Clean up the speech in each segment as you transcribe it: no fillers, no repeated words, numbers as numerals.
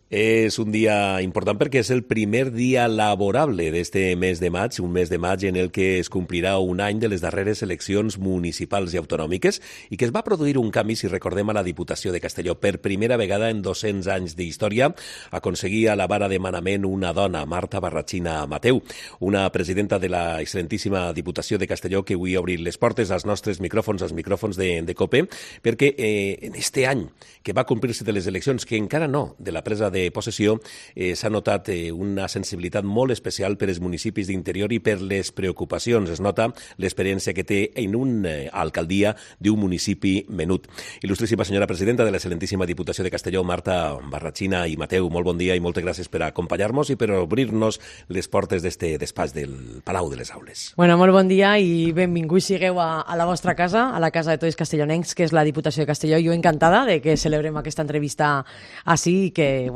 És un dia important perquè és el primer dia laborable d'este mes de maig, un mes de maig en el que es complirà un any de les darreres eleccions municipals i autonòmiques i que es va produir un canvi, si recordem, a la Diputació de Castelló. Per primera vegada en 200 anys d'història aconseguia la vara de manament una dona, Marta Barratxina Mateu, una presidenta de la excel·lentíssima Diputació de Castelló que avui ha obrit les portes als nostres micròfons, als micròfons de COPE, perquè en este any que va complir-se de les eleccions, que encara no, de la presa de possessió, s'ha notat una sensibilitat molt especial per als municipis d'interior i per les preocupacions. Es nota l'experiència que té en una alcaldia d'un municipi menut. Il·lustríssima senyora presidenta de l'excel·lentíssima Diputació de Castelló, Marta Barratxina i Mateu, molt bon dia i moltes gràcies per acompanyar-nos i per obrir-nos les portes d'este despatx del Palau de les Aules. Bueno, molt bon dia i benvinguts sigueu a la vostra casa, a la casa de tots els castellonencs, que és la Diputació de Castelló. Jo encantada de que celebrem aquesta entrevista així i que,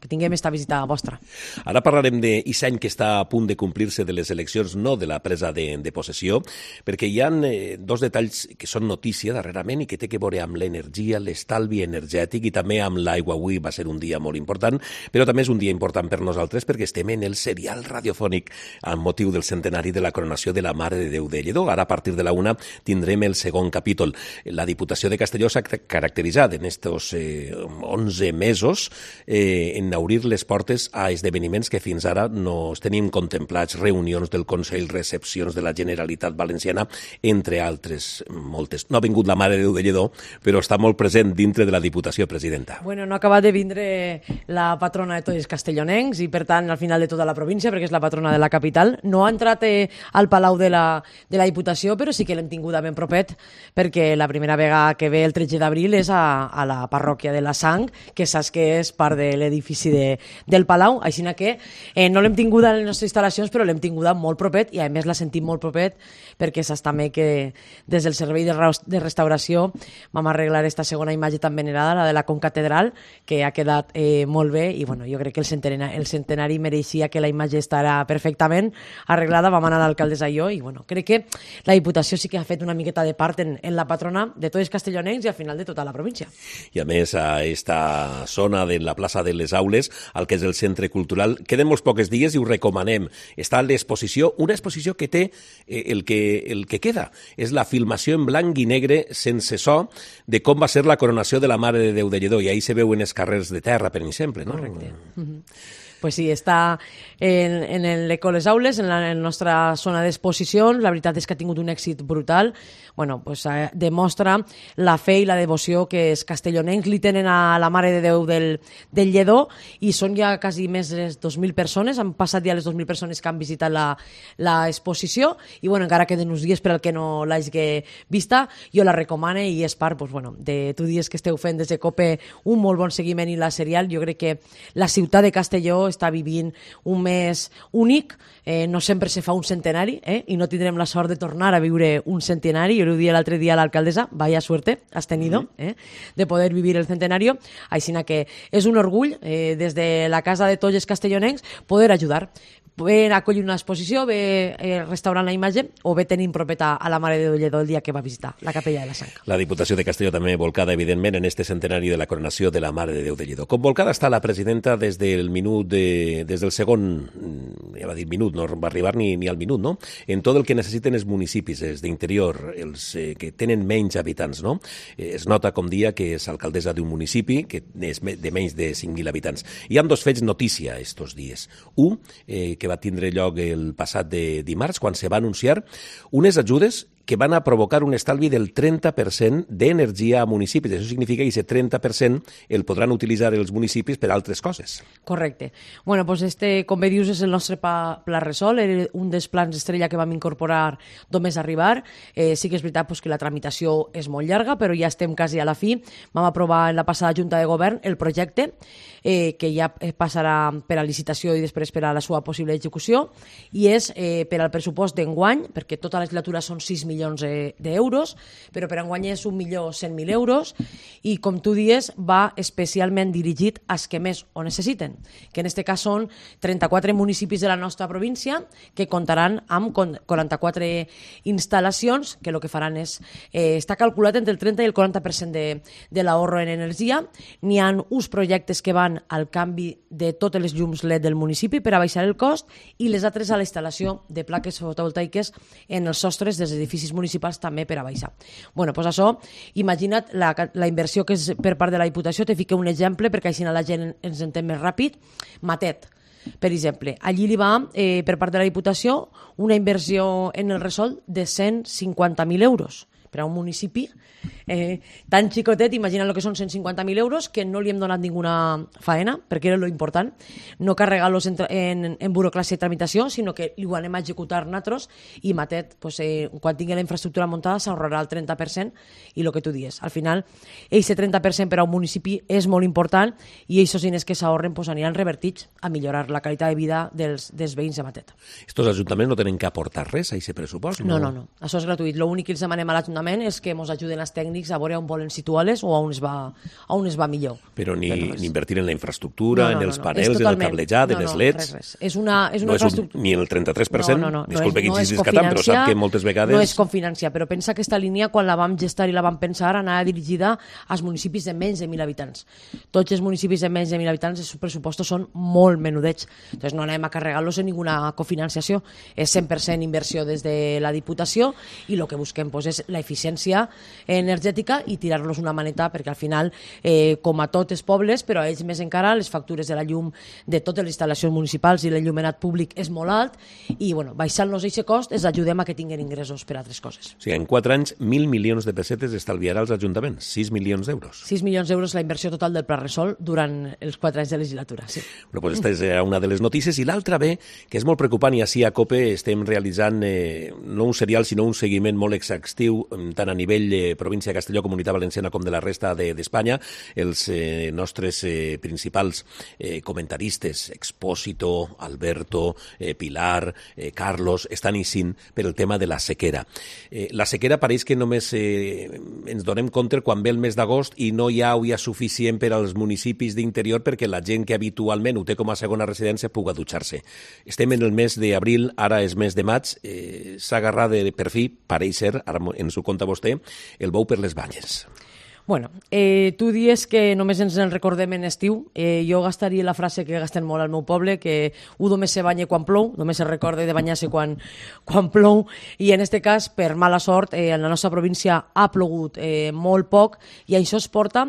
que tinguem esta visita vostra. Ara parlarem d'aquest any que està a punt de complir-se de les eleccions, no de la presa de possessió, perquè hi ha dos detalls que són notícia darrerament i que té que veure amb l'energia, l'estalvi energètic i també amb l'aigua. Avui va ser un dia molt important, però també és un dia important per nosaltres perquè estem en el serial radiofònic amb motiu del centenari de la coronació de la Mare de Déu de Lledó. Ara, a partir de la 1, tindrem el segon capítol. La Diputació de Castelló s'ha caracteritzat en estos 11 mesos en obrir les portes a esdeveniments que fins ara no es tenim contemplats, reunions del Consell, recepcions de la Generalitat Valenciana, entre altres moltes. No ha vingut la Mare de Déu de Lledó, però està molt present dintre de la Diputació, presidenta. Bueno, no ha acabat de vindre la patrona de tots els castellonencs i, per tant, al final de tota la província, perquè és la patrona de la capital. No ha entrat al Palau de la Diputació, però sí que l'hem tinguda ben propet, perquè la primera vegada que ve el 13 d'abril és a la parròquia de la Sang, que saps que és part de l'edifici del Palau, així que no l'hem tinguda en les nostres instal·lacions, però l'hem tinguda molt propet i a més la sentim molt propet perquè saps també que des del servei de restauració vam arreglar esta segona imatge tan venerada, la de la concatedral, que ha quedat molt bé i jo crec que el centenari mereixia que la imatge estarà perfectament arreglada. Vam anar a l'alcaldessa i jo i crec que la Diputació sí que ha fet una miqueta de part en la patrona de tots els castellonencs i al final de tota la província. I a més a esta zona de la plaça de les Aules, el que és el centre cultural, queden molts pocs dies i ho recomanem. Està l'exposició, una exposició que té el que queda. És la filmació en blanc i negre sense so de com va ser la coronació de la Mare de Déu de Lledó. I ahí se veuen els carrers de terra, per exemple, no? Correcte. Pues sí, està en l'Eco Les Aules, en la nostra zona d'exposicions. La veritat és que ha tingut un èxit brutal. Demostra la fe i la devoció que els castellonencs li tenen a la Mare de Déu del Lledó i són ja quasi més de 2.000 persones. Han passat ja les 2.000 persones que han visitat l'exposició i encara queden uns dies per al que no l'hagi vista. Jo la recomano i és part de tu dies que esteu fent des de COPE un molt bon seguiment i la serial. Jo crec que la ciutat de Castelló està vivint un mes únic, no sempre se fa un centenari i no tindrem la sort de tornar a viure un centenari. Jo ho dia l'altre dia a l'alcaldessa, vaya suerte has tenido de poder vivir el centenario, així que és un orgull des de la casa de tots els castellonencs poder ajudar. Ve acollir una exposició, ve restaurant la imatge o ve tenint propeta a la Mare de Déu de Lledó el dia que va visitar la capella de la Sang. La Diputació de Castelló també volcada, evidentment, en este centenari de la coronació de la Mare de Déu de Lledó. Com volcada està la presidenta des del segon, ja va dir minut, no va arribar ni al minut, no? En tot el que necessiten els municipis, els d'interior, els que tenen menys habitants, no? Es nota, com dia, que és alcaldessa d'un municipi que és de menys de 5.000 habitants. Hi ha dos fets notícia estos dies. Un, que va tindre lloc el passat de dimarts, quan se va anunciar unes ajudes que van a provocar un estalvi del 30% d'energia a municipis. Això significa que aquest 30% el podran utilitzar els municipis per altres coses. Correcte. Com bé dius, és el nostre pla Resol, era un dels plans estrella que vam incorporar només arribar. Sí que és veritat que la tramitació és molt llarga, però ja estem quasi a la fi. Vam aprovar en la passada Junta de Govern el projecte, que ja passarà per a licitació i després per a la seva possible execució, i és per al pressupost d'enguany, perquè tota la legislatura són 6 milions milions d'euros, però per enguany és 1.100.000 euros i, com tu dius, va especialment dirigit als que més ho necessiten, que en aquest cas són 34 municipis de la nostra província que comptaran amb 44 instal·lacions que el que faran és, està calculat entre el 30 i el 40% de l'ahorro en energia. N'hi ha uns projectes que van al canvi de totes les llums LED del municipi per a baixar el cost i les altres a la instal·lació de plaques fotovoltaiques en els sostres dels edificis municipals també per a baixar. Bueno, doncs això, imagina't la inversió que és per part de la Diputació. Te fico un exemple perquè així la gent ens entén més ràpid. Matet, per exemple, allí li va, per part de la Diputació, una inversió en el resol de 150.000 euros. Per a un municipi tan xicotet, imagina el que són 150.000 euros, que no li hem donat ninguna faena, perquè era lo important, no carregar-los en burocràcia i tramitació, sinó que ho anem a executar nosaltres, i Matet, pues, quan tingui la infraestructura muntada, s'ahorrarà el 30%, i el que tu dius. Al final, aquest 30% per a un municipi és molt important, i aquests diners que s'ahorren pues, aniran revertits a millorar la qualitat de vida dels veïns de Matet. Estos ajuntaments no tenen que aportar res a aquest pressupost? No. Això és gratuït. L'únic que els demanem a l'Ajuntament és que ens ajuden els tècnics a veure on volen situar-les o on es va millor. Però ni invertir en la infraestructura, en els panels, en el cablejat, en els LEDs... Res. És una infraestructura... Ni el 33%? Disculpe que insistis tant, però sap que moltes vegades... No és cofinanciar, però pensa que aquesta línia, quan la vam gestar i la vam pensar, anava dirigida als municipis de menys de 1.000 habitants. Tots els municipis de menys de 1.000 habitants, els pressupostos són molt menudets. Entonces no anem a carregar-los en ninguna cofinanciació. És 100% inversió des de la Diputació i el que busquem pues, és l'eficiència energètica i tirar-los una maneta perquè al final, com a tots els pobles, però a ells més encara, les factures de la llum de totes les instal·lacions municipals i l'enllumenat públic és molt alt i baixant-los aquest cost els ajudem a que tinguin ingressos per a altres coses. O sigui, en 4 anys, 1.000 milions de pessetes estalviarà als ajuntaments, 6 milions d'euros. 6 milions d'euros la inversió total del Pla Resol durant els 4 anys de legislatura, sí. Bueno, pues esta és una de les notícies. I l'altra bé, que és molt preocupant, i així a COPE estem realitzant no un serial, sinó un seguiment molt exhaustiu, tant a nivell província de Castelló, Comunitat Valenciana, com de la resta d'Espanya. Els nostres principals comentaristes, Expósito, Alberto, Pilar, Carlos, estan eixint per el tema de la sequera. La sequera pareix que només ens donem compte quan ve el mes d'agost i no hi ha aigua suficient per als municipis d'interior perquè la gent que habitualment ho té com a segona residència pugui dutxar-se. Estem en el mes d'abril, ara és mes de maig, s'ha agarrat per fi, pareix ser, ara ens ho conta vostè, el bou per les banyes. Bueno, tu dius que només ens en recordem en estiu. Jo gastaria la frase que gasten molt al meu poble, que un només se banya quan plou, només se recorda de banyar-se quan plou, i en aquest cas, per mala sort, en la nostra província ha plogut molt poc, i això es porta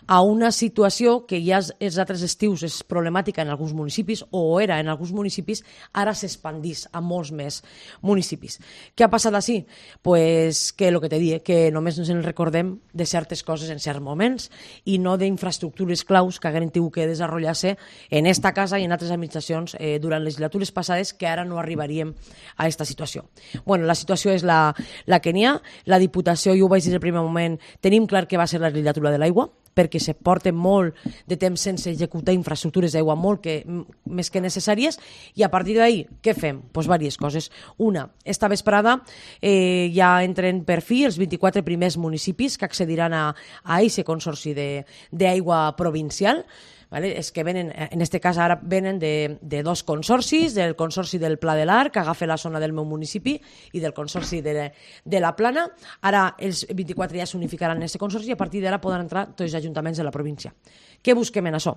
a una situació que ja els altres estius és problemàtica en alguns municipis, o era en alguns municipis, ara s'expandís a molts més municipis. Què ha passat així? Pues que el que te dic, que només ens en recordem de certes coses en certs moments i no d'infraestructures claus que hagueren tingut que desenvolupar-se en esta casa i en altres administracions durant legislatures passades, que ara no arribaríem a aquesta situació. Bueno, la situació és la que n'hi ha. La Diputació, jo ho vaig dir el primer moment, tenim clar que va ser la legislatura de l'aigua, perquè se porta molt de temps sense executar infraestructures d'aigua més que necessàries, i a partir d'ahir, què fem? Doncs diverses coses. Una, esta vesprada ja entren per fi els 24 primers municipis que accediran a aquest consorci d'aigua provincial. Vale? És que venen, en aquest cas ara venen de dos consorcis, del consorci del Pla de l'Arc, que agafa la zona del meu municipi, i del consorci de la Plana. Ara els 24 ja s'unificaran en aquest consorci i a partir d'ara poden entrar tots els ajuntaments de la província. Què busquem en això?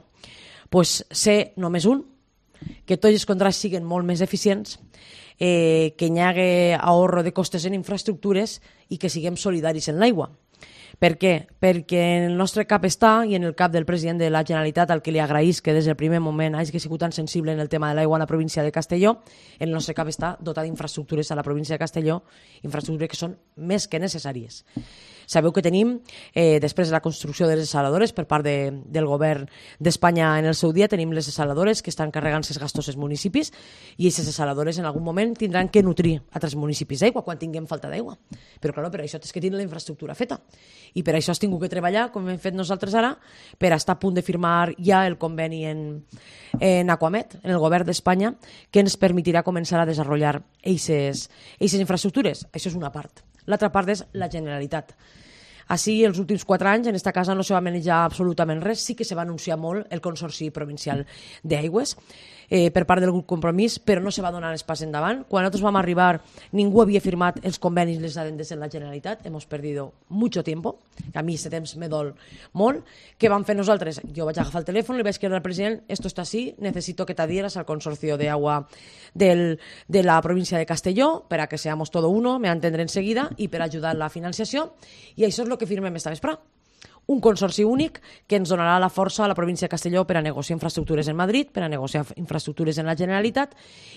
Pues ser només un, que tots els contrats siguin molt més eficients, que hi hagi ahorro de costes en infraestructures i que siguem solidaris en l'aigua. Per què? Perquè en el nostre cap està, i en el cap del president de la Generalitat, al que li agraïs que des del primer moment hagi sigut tan sensible en el tema de l'aigua a la província de Castelló, en el nostre cap està dotar d'infraestructures a la província de Castelló, infraestructures que són més que necessàries. Sabeu que tenim, després de la construcció de les desaladores per part del govern d'Espanya en el seu dia, tenim les desaladores que estan carregant-se els gastos als municipis, i aquestes desaladores en algun moment tindran que nutrir altres municipis d'aigua quan tinguem falta d'aigua. Però clar, per això és que tenen la infraestructura feta. I per això has tingut que treballar, com hem fet nosaltres ara, per estar a punt de firmar ja el conveni en Aquamet, en el govern d'Espanya, que ens permetirà començar a desenvolupar aquestes infraestructures. Això és una part. L'altra part és la Generalitat. Així, els últims 4 anys, en aquesta casa no se va manejar absolutament res. Sí que se va anunciar molt el Consorci Provincial d'Aigües per part del grup Compromís, però no se va donar els pas endavant. Quan nosaltres vam arribar, ningú havia firmat els convenis, les adendes en la Generalitat. Hemos perdido mucho tiempo, que a mi aquest temps me dol molt. Què vam fer nosaltres? Jo vaig agafar el telèfon, li vaig escriure al president, esto está así, necesito que te adhieras al consorcio de agua de la província de Castelló para que seamos todo uno, me va entendre enseguida, i per ajudar en la financiació. I això és el que firmem esta vesprà. Un consorci únic que ens donarà la força a la província de Castelló per a negociar infraestructures en Madrid, per a negociar infraestructures en la Generalitat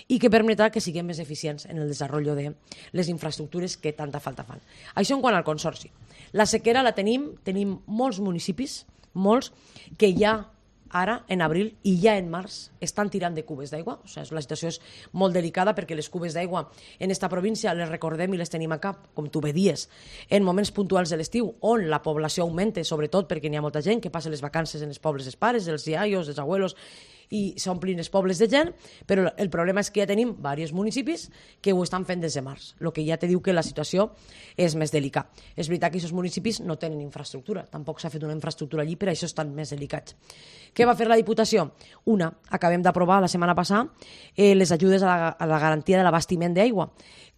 i que permetrà que siguem més eficients en el desenvolupament de les infraestructures que tanta falta fan. Això en quant al consorci. La sequera la tenim molts municipis, molts, que ja ara, en abril i ja en març, estan tirant de cubes d'aigua. O sigui, la situació és molt delicada perquè les cubes d'aigua en esta província les recordem i les tenim a cap, com tu bé dies, en moments puntuals de l'estiu, on la població augmenta, sobretot perquè n'hi ha molta gent que passa les vacances en els pobles dels pares, dels iaios, dels abuelos, i s'omplin els pobles de gent, però el problema és que ja tenim diversos municipis que ho estan fent des de març, el que ja te diu que la situació és més delicada. És veritat que aquests municipis no tenen infraestructura, tampoc s'ha fet una infraestructura allí, per això estan més delicats. Què va fer la Diputació? Acabem d'aprovar la setmana passada les ajudes a la garantia de l'abastiment d'aigua,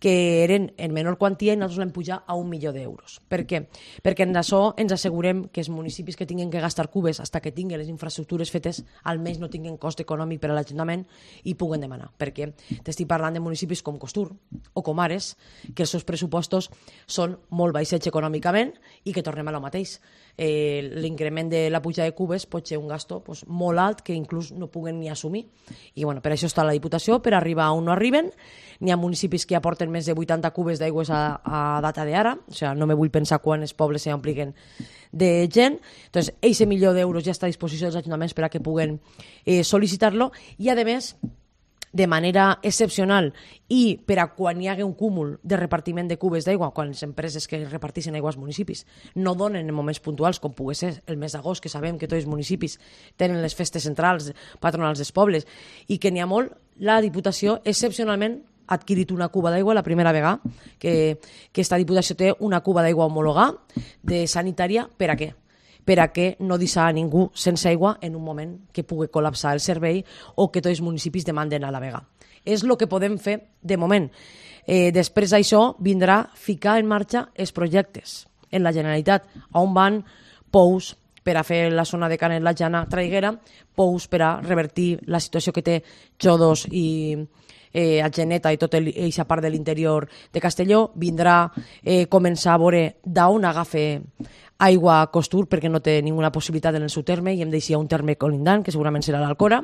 que eren en menor quantia i nosaltres l'hem pujat a 1 milió d'euros. Per què? Perquè en això ens assegurem que els municipis que tinguin que gastar cubes fins que tinguin les infraestructures fetes almenys no tinguin cost econòmic per a l'Ajuntament i puguen demanar. Perquè t'estic parlant de municipis com Costur o com Ares, que els seus pressupostos són molt baixets econòmicament i que tornem a lo mateix. L'increment de la puja de cubes pot ser un gasto molt alt que inclús no puguen ni assumir. I per això està la Diputació, per arribar on no arriben. N'hi ha municipis que aporten més de 80 cubes d'aigües a data d'ara, o sigui, no me vull pensar quan els pobles s'ompliguin de gent. Entonces, aquest milió d'euros ja està a disposició dels ajuntaments per a que puguen sol·licitar-lo i, a més, de manera excepcional i per a quan hi hagi un cúmul de repartiment de cubes d'aigua, quan les empreses que reparteixen aigua als municipis no donen en moments puntuals, com pugui ser el mes d'agost, que sabem que tots els municipis tenen les festes centrals patronals dels pobles i que n'hi ha molt, la Diputació excepcionalment ha adquirit una cuba d'aigua la primera vegada que esta Diputació té una cuba d'aigua homologada de sanitària. Per a què? Per a que no deixar a ningú sense aigua en un moment que pugui col·lapsar el servei o que tots els municipis demanden a la vegada. És el que podem fer de moment. Després d'això vindrà ficar en marxa els projectes en la Generalitat, on van pous per a fer la zona de Canet la Jana Traiguera, pous per a revertir la situació que té Xodos i Atgeneta i tota aquesta part de l'interior de Castelló. Vindrà començar a veure d'on agafa aigua a Costur, perquè no té ninguna possibilitat en el seu terme i hem deixat un terme colindant, que segurament serà l'Alcora.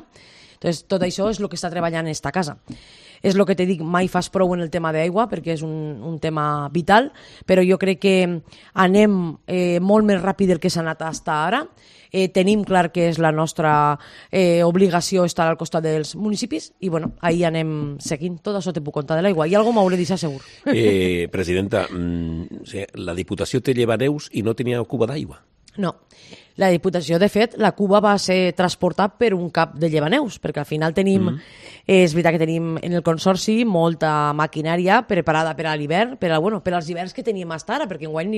Entonces, tot això és el que està treballant en esta casa. És el que te dic, mai fas prou en el tema d'aigua, perquè és un tema vital, però jo crec que anem molt més ràpid del que s'ha anat fins ara. Tenim clar que és la nostra obligació estar al costat dels municipis i ahí anem seguint. Tot això te puc contar de l'aigua i alguna m'hauré deixat segur. Presidenta, la Diputació té llevaneus i no tenia cuba d'aigua? No. La Diputació, de fet, la cuba va ser transportat per un cap de llevaneus, perquè al final tenim, és veritat que tenim en el Consorci molta maquinària preparada per a l'hivern, per als hiverns que teníem fins ara, perquè enguany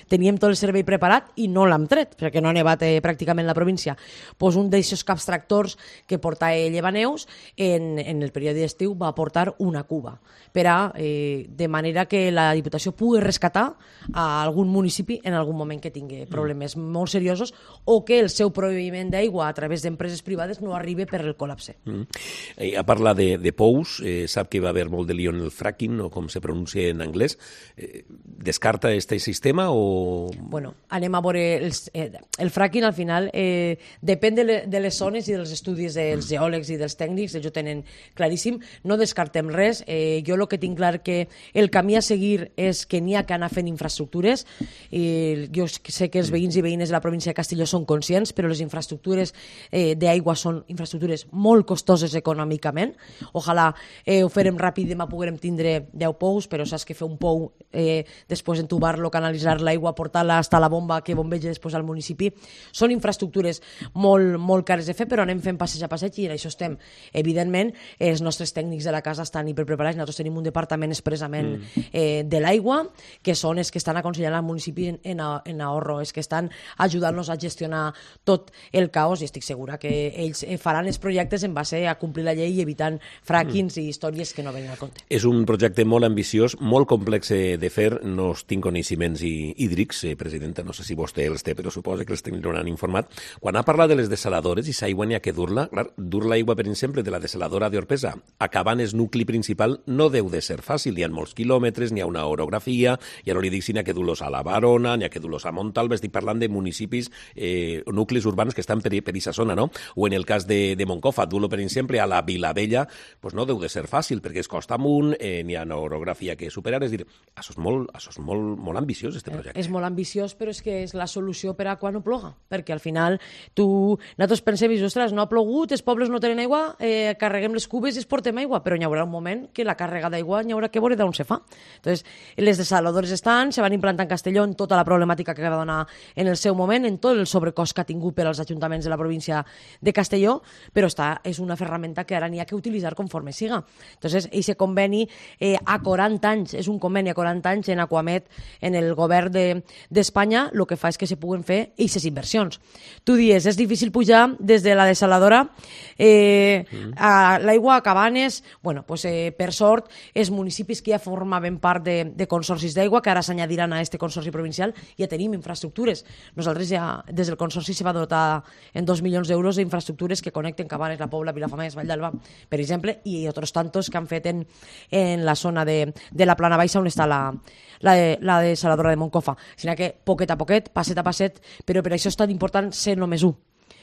teníem tot el servei preparat i no l'hem tret, perquè no ha nevat pràcticament la província. Pues un d'aquests caps tractors que portava llevaneus en el període d'estiu va portar una cuba, de manera que la Diputació pugui rescatar a algun municipi en algun moment que tingui problemes molt seriosos o que el seu proveïment d'aigua a través d'empreses privades no arribi per el col·lapse. A parlar de pous, sap que va haver molt de lío en el fracking, o com se pronuncia en anglès. Descarta este sistema o...? Anem a veure... El fracking, al final, depèn de les zones i dels estudis dels geòlegs i dels tècnics, ells ho tenen claríssim. No descartem res. Jo el que tinc clar que el camí a seguir és que n'hi ha que anar fent infraestructures. Jo sé que els veïns i veïnes de la província de Castelló són conscients, però les infraestructures d'aigua són infraestructures molt costoses econòmicament. Ojalà ho farem ràpid, demà puguem tindre 10 pous, però saps que fer un pou, després entubar-lo, canalitzar l'aigua, portar-la fins a la bomba que bombeja després al municipi, són infraestructures molt cares de fer, però anem fent passeig a passeig i en això estem. Evidentment, els nostres tècnics de la casa estan hiperpreparats. Nosaltres tenim un departament expressament de l'aigua, que són els que estan aconsellant al municipi en ahorro, els que estan ajudant-nos a gestionar tot el caos, i estic segura que ells faran els projectes en base a complir la llei i evitant fràquings i històries que no venen al compte. És un projecte molt ambiciós, molt complex de fer. No tinc coneixements hídrics, presidenta, no sé si vostè els té, però suposo que els tindran informat. Quan ha parlat de les desaladores i s'aigua n'hi ha que dur-la, clar, dur l'aigua, per exemple, de la desaladora d'Orpesa acabant el nucli principal no deu de ser fàcil. Hi ha molts quilòmetres, n'hi ha una orografia, ja no li dic si n'hi ha que dur-los a la Barona, n'hi ha que dur-los a Montalba, estic parlant de municipis, nuclis urbans que estan per aquesta zona, no? O en el cas de Moncofa, dur-lo, per exemple, a la Vilavella, pues no deu de ser fàcil, perquè es costa amunt, n'hi ha una orografia que superar, és dir, això és molt ambiciós, este projecte. És molt ambiciós, però és que és la solució per a quan no ploga, perquè al final nosaltres pensem, ostres, no ha plogut, els pobles no tenen aigua, carreguem les cubes i es portem aigua, però hi haurà un moment que la càrrega d'aigua hi haurà que veure d'on se fa. Entonces, les desaladores se van implantar en Castelló en tota la problemàtica que va donar en el seu moment, en tot el sobrecost que ha tingut per als ajuntaments de la província de Castelló, però és una ferramenta que ara n'hi ha que utilitzar conforme siga. Entonces, aquest conveni a 40 anys, és un conveni a 40 anys en Aquamet, en el govern d'Espanya, el que fa és que se puguen fer aquestes inversions. Tu dius, és difícil pujar des de la desaladora a l'aigua a Cabanes. Bueno, pues, per sort, els municipis que ja formaven part de consorcis d'aigua, que ara s'añadiran a este consorci provincial, ja tenim infraestructures. Nosaltres ja, des del consorci se va dotar en 2 milions d'euros d'infraestructures que connecten Cabanes, la Pobla, Vilafamés, Vall d'Alba, per exemple, i altres tantos que han fet en la zona de la Plana Baixa on està la desaladora de Moncofa. Sinó que poquet a poquet, passet a passet, però per això és tan important ser només un.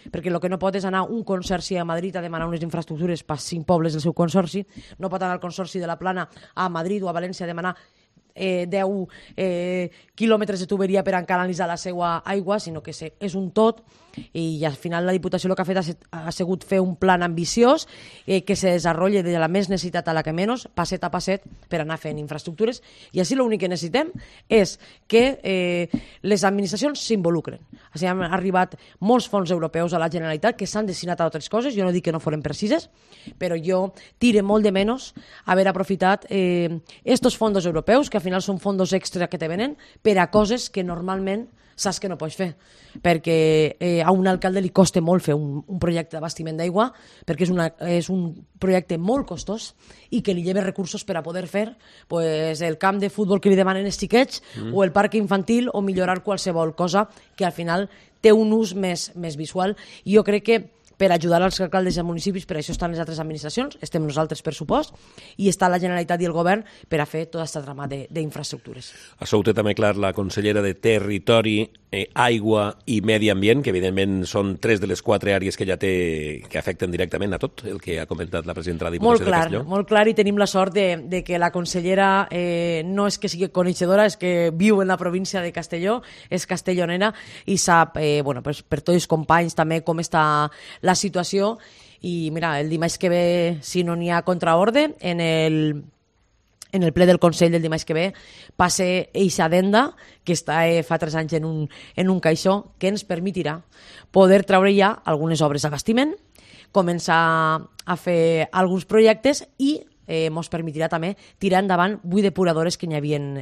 Perquè el que no pot és anar un consorci a Madrid a demanar unes infraestructures per 5 pobles del seu consorci, no pot anar el consorci de la Plana a Madrid o a València a demanar 10 quilòmetres de tuberia per canalitzar la seva aigua, sinó que és un tot, i al final la Diputació el que ha fet ha sigut fer un plan ambiciós que se desenvolupi de la més necessitat a la que menys, passet a passet, per anar fent infraestructures, i així l'únic que necessitem és que les administracions s'involucren. Així han arribat molts fons europeus a la Generalitat que s'han destinat a altres coses, jo no dic que no foren precises, però jo tire molt de menys haver aprofitat estos fondos europeus, que al final són fondos extra que te venen, per a coses que normalment saps que no pots fer, perquè a un alcalde li costa molt fer un projecte d'abastiment d'aigua, perquè és un projecte molt costós i que li lleva recursos per a poder fer pues, el camp de futbol que li demanen els xiquets o el parc infantil o millorar qualsevol cosa que al final té un ús més visual. I jo crec que per ajudar als alcaldes i als municipis, per això estan les altres administracions, estem nosaltres, per supost, i està la Generalitat i el Govern per a fer tota aquesta trama d'infraestructures. Això ho té també clar la consellera de Territori, Aigua i Medi Ambient, que evidentment són 3 de les 4 àrees que ja té, que afecten directament a tot el que ha comentat la presidenta de la Diputació de Castelló. Molt clar, i tenim la sort de que la consellera no és que sigui coneixedora, és que viu en la província de Castelló, és castellonera i sap, pues, per tots els companys també com està la situació, i mira, el dimarts que ve, si no n'hi ha contraordre, en el ple del Consell del dimarts que ve passe eixa addenda que està fa 3 anys en un caixó que ens permetirà poder treure ja algunes obres d'abastiment, començar a fer alguns projectes i ens permetirà també tirar endavant 8 depuradores que n'hi havien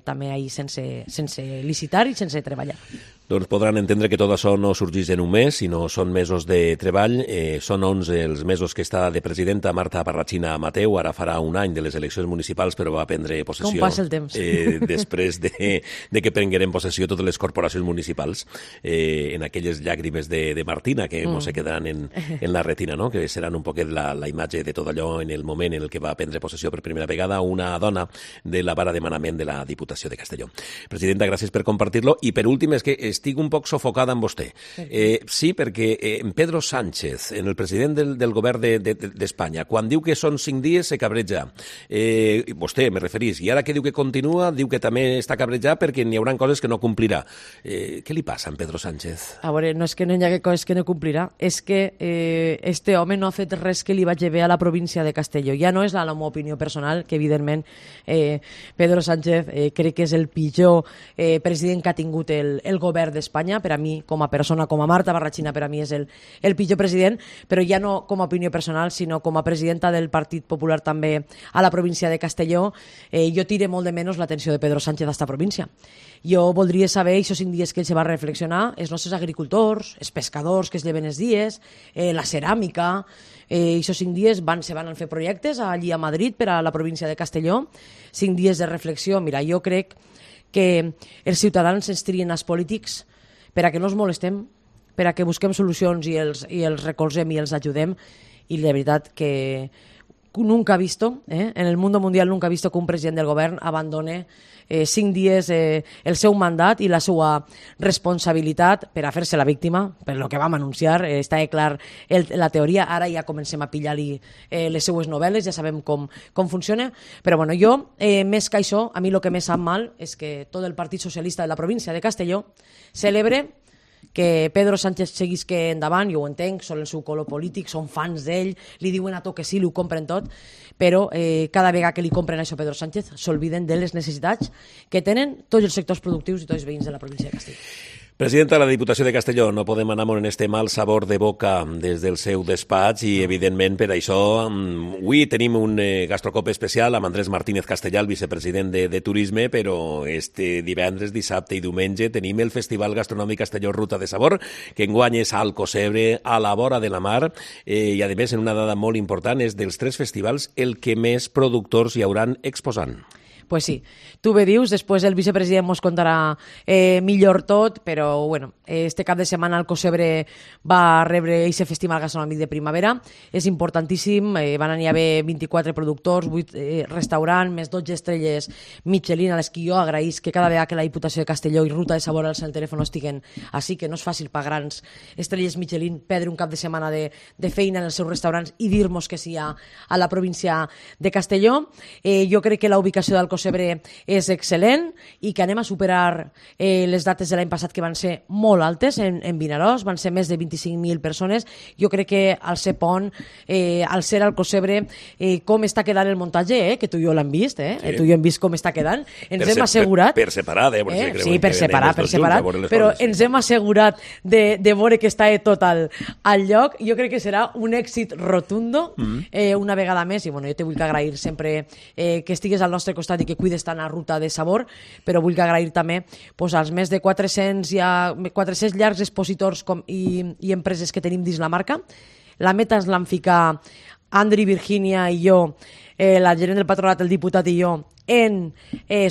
també ahir sense licitar i sense treballar. Doncs podran entendre que tot això no sorgeix en un mes, sinó són mesos de treball. Són 11 els mesos que està de presidenta Marta Parratxina Mateu. Ara farà un any de les eleccions municipals, però va prendre possessió. Com passa el temps. Després de que prengueren possessió totes les corporacions municipals, en aquelles llàgrimes de Martina que se quedaran en la retina, no? Que seran un poquet la imatge de tot allò en el moment en el que va prendre possessió per primera vegada una dona de la vara de manament de la Diputació de Castelló. Presidenta, gràcies per compartir-lo. I per últim, és que estic un poc sofocada amb vostè. Sí, perquè Pedro Sánchez, el president del govern d'Espanya, quan diu que són 5 dies se cabreja. Vostè, me referís, i ara que diu que continua, diu que també està cabrejat perquè n'hi haurà coses que no complirà. Què li passa a Pedro Sánchez? A veure, no és que no hi hagi coses que no complirà, és que este home no ha fet res que li vagi bé a la província de Castelló. Ja no és la meva opinió personal, que evidentment Pedro Sánchez crec que és el pitjor president que ha tingut el govern d'Espanya. Per a mi, com a persona, com a Marta Barrachina, per a mi és el pitjor president, però ja no com a opinió personal, sinó com a presidenta del Partit Popular també a la província de Castelló. Jo tire molt de menys l'atenció de Pedro Sánchez a esta província. Jo voldria saber, aquests 5 dies que ell se va reflexionar, els nostres agricultors, els pescadors que es lleven els dies, la ceràmica, aquests 5 dies se van fer projectes allí a Madrid per a la província de Castelló, 5 dies de reflexió. Mira, jo crec que els ciutadans ens trien els polítics per a que no els molestem, per a que busquem solucions i els recolzem i els ajudem, i la veritat que nunca ha visto, en el mundo mundial nunca ha visto que un president del govern abandone 5 dies el seu mandat i la seva responsabilitat per a fer-se la víctima, per lo que vam anunciar. Està clar la teoria, ara ja comencem a pillar-li les seues novel·les, ja sabem com funciona, però bueno, jo, més que això, a mi el que més sap mal és que tot el Partit Socialista de la província de Castelló celebre que Pedro Sánchez seguisca endavant. Jo ho entenc, són el seu color polític, són fans d'ell, li diuen a tot que sí, li ho compren tot, però cada vegada que li compren això a Pedro Sánchez s'olviden de les necessitats que tenen tots els sectors productius i tots els veïns de la província de Castelló. Presidenta de la Diputació de Castelló, no podem anar amb este mal sabor de boca des del seu despatx i, evidentment, per això avui tenim un gastrocop especial amb Andrés Martínez Castellà, el vicepresident de Turisme, però este divendres, dissabte i diumenge tenim el Festival Gastronòmic Castelló Ruta de Sabor, que enguany és a Alcocebre, a la vora de la mar, i, a més, en una dada molt important, és dels 3 festivals el que més productors hi hauran exposant. Pues sí, tu bé dius, després el vicepresident mos contarà millor tot, però bueno, este cap de setmana Alcocebre va rebre aquest festival gastronòmic de primavera, és importantíssim, van anar a haver 24 productors, 8 restaurants, més 12 estrelles Michelin, a les que jo agraïs que cada vegada que la Diputació de Castelló i Ruta de Sabor al seu telèfon estiguen així, que no és fàcil per grans estrelles Michelin perdre un cap de setmana de feina en els seus restaurants i dir-nos que sí a la província de Castelló. Jo crec que la ubicació d'Alcocebre és excel·lent i que anem a superar les dates de l'any passat, que van ser molt altes en Vinaròs, van ser més de 25.000 persones. Jo crec que al ser pont, al ser Alcocebre, com està quedant el muntatge, que tu i jo l'hem vist, sí. Tu i jo hem vist com està quedant, ens hem assegurat... Per separat, sí, per separat, però ens hem assegurat de veure que està tot al lloc. Jo crec que serà un èxit rotundo una vegada més, i bueno, jo te vull agrair sempre que estigues al nostre costat i que cuides tant a Ruta de Sabor, però vull agrair també als més de 400 llargs expositors i empreses que tenim dins la marca. La meta ens l'han ficat Andri, Virginia i jo, la gerent del patronat, el diputat i jo, en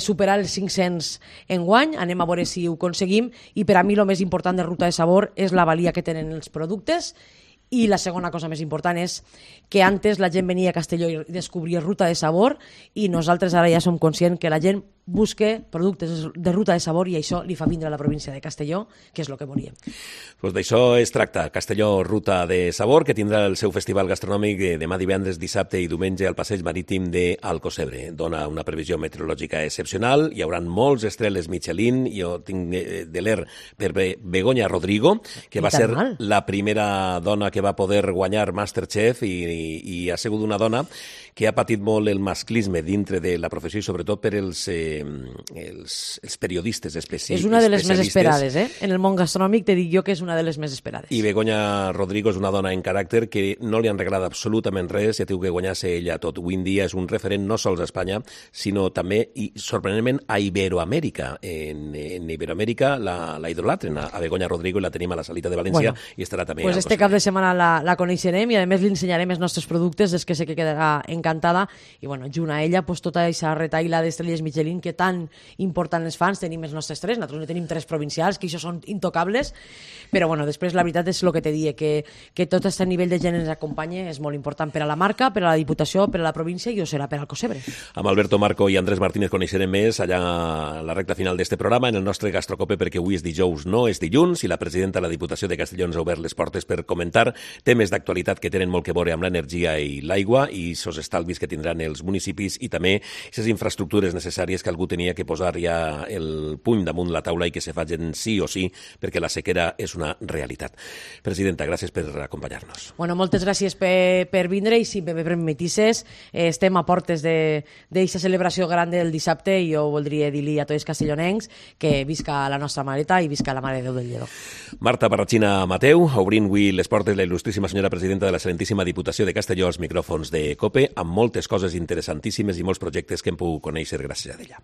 superar els 500 enguany. Anem a veure si ho aconseguim, i per a mi el més important de Ruta de Sabor és la valia que tenen els productes. I la segona cosa més important és que antes la gent venia a Castelló i descobria Ruta de Sabor, i nosaltres ara ja som conscients que la gent busque productes de Ruta de Sabor, i això li fa vindre a la província de Castelló, que és el que volíem. Pues d'això es tracta, Castelló Ruta de Sabor, que tindrà el seu festival gastronòmic demà divendres, dissabte i diumenge al passeig marítim d'Alcocebre. Dona una previsió meteorològica excepcional, hi haurà molts estrelles Michelin. Jo tinc de l'er per Begoña Rodrigo, que va ser la primera dona que va poder guanyar Masterchef, i ha sigut una dona que ha patit molt el masclisme dintre de la professió, i sobretot per els periodistes especialistes. És una de les més esperades, En el món gastronòmic te dic jo que és una de les més esperades. I Begoña Rodrigo és una dona en caràcter que no li han regalat absolutament res, ja té que guanyar-se ella tot. Avui en dia és un referent no sols a Espanya, sinó també, i sorprenentment, a Iberoamèrica. En Iberoamèrica la idolatren a Begoña Rodrigo, i la tenim a la Salita de València, i estarà també pues este cap de setmana la coneixerem, i a més li ensenyarem els nostres productes, és que sé que quedarà encantada, i bueno, junt a ella tota aquesta retaila d'estrelles Michelin que que tan important les fan, tenim els nostres tres, nosaltres no tenim tres provincials, que això són intocables, però bueno, després la veritat és el que te dic, que tot aquest nivell de gent ens acompanya és molt important per a la marca, per a la Diputació, per a la província i ho serà per al Cosebre. Amb Alberto Marco i Andrés Martínez coneixerem més allà a la recta final d'este programa en el nostre Gastrocope, perquè avui és dijous, no és dilluns, i la presidenta de la Diputació de Castelló ens ha obert les portes per comentar temes d'actualitat que tenen molt que veure amb l'energia i l'aigua i els estalvis que tindran els municipis i també aquestes infraestructures necessàries que algú tenia que posar ja el puny damunt la taula i que se facin sí o sí perquè la sequera és una realitat. Presidenta, gràcies per acompanyar-nos. Bueno, moltes gràcies per vindre i si me permetisses, estem a portes d'aquesta celebració gran del dissabte i jo voldria dir-li a tots els castellonencs que visca la nostra mareta i visca la Mare de Déu del Lledó. Marta Barratxina Mateu, obrint avui les portes la il·lustríssima senyora presidenta de la Excelentíssima Diputació de Castelló als micròfons de COPE, amb moltes coses interessantíssimes i molts projectes que hem pogut conèixer gràcies a ella.